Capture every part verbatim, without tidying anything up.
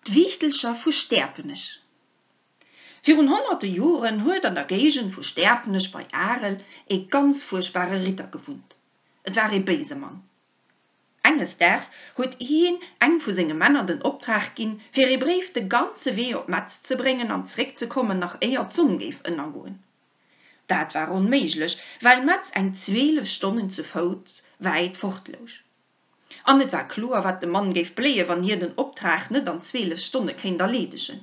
D'Wiichtelcher vu Stäerpenech. Virun honnerte Joren huet an der Géigend vu Stäerpenech bei Arel ee ganz fuerchtbare Ritter gewunnt. Et war ee béise Mann. Enges Daags huet hien engem vu senge Männer den Optrag ginn, fir ee Bréif de ganze Wee op Metz ze bréngen an zeréckzekommen, nach éier d'Sonn géif ënnergoen. Dat war onméiglech, well Metz eng zweelef Stonnen ze Fouss wäit fort louch. An et war kloer, wat dem Mann géif bléien, wann hien den Optrag net an zweelef Stonne kéint erleedegen.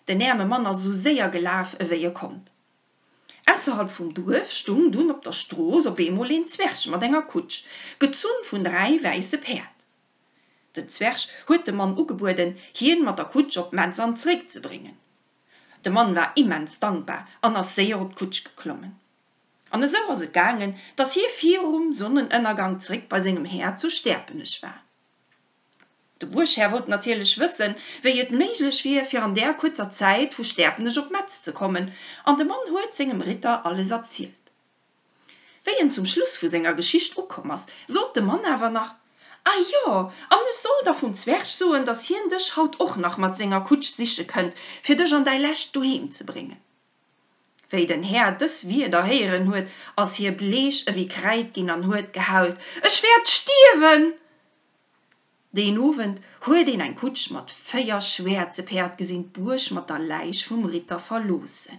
Den äerme Mann ass esou séier gelaf, ewéi e konnt. Ausserhalb vum Duerf stung dunn op der Strooss op eemol een Zwerg mat enger Kutsch, gezunn vun dräi wäisse Päerd. Den Zwerg huet dem Mann ugebueden, hien mat der Kutsch op Metz an zréck ze bréngen. De Mann war immens dankbar an ass séier op d'Kutsch geklommen. An esou ass et gaangen, dass hie virum Sonnenënnergang zréck bei sengem Här zu Stäerpenech war. De Buerghär wollt natierlech wëssen, wéi et méiglech wier, fir an där kuerzer Zäit vu Stäerpenech op Metz ze kommen, an de Mann huet sengem Ritter alles erzielt. Wéi en zum Schluss vu senger Geschicht ukomm ass, sot de Mann awer nach, A jo, an ech soll der vum Zwerg soen, dass hien dech haut och nach mat senger Kutsch siche kënnt, fir dech an däi lescht Doheem ze bréngen. Wéi den Här dës Wierder héieren huet, ass hie bleech ewéi Kräid ginn an huet gehault, Ech wäert stierwen! Deen Owend huet een eng Kutsch mat véier schwäerze Päerd gesinn d'Buerg mat der Läich vum Ritter verloossen.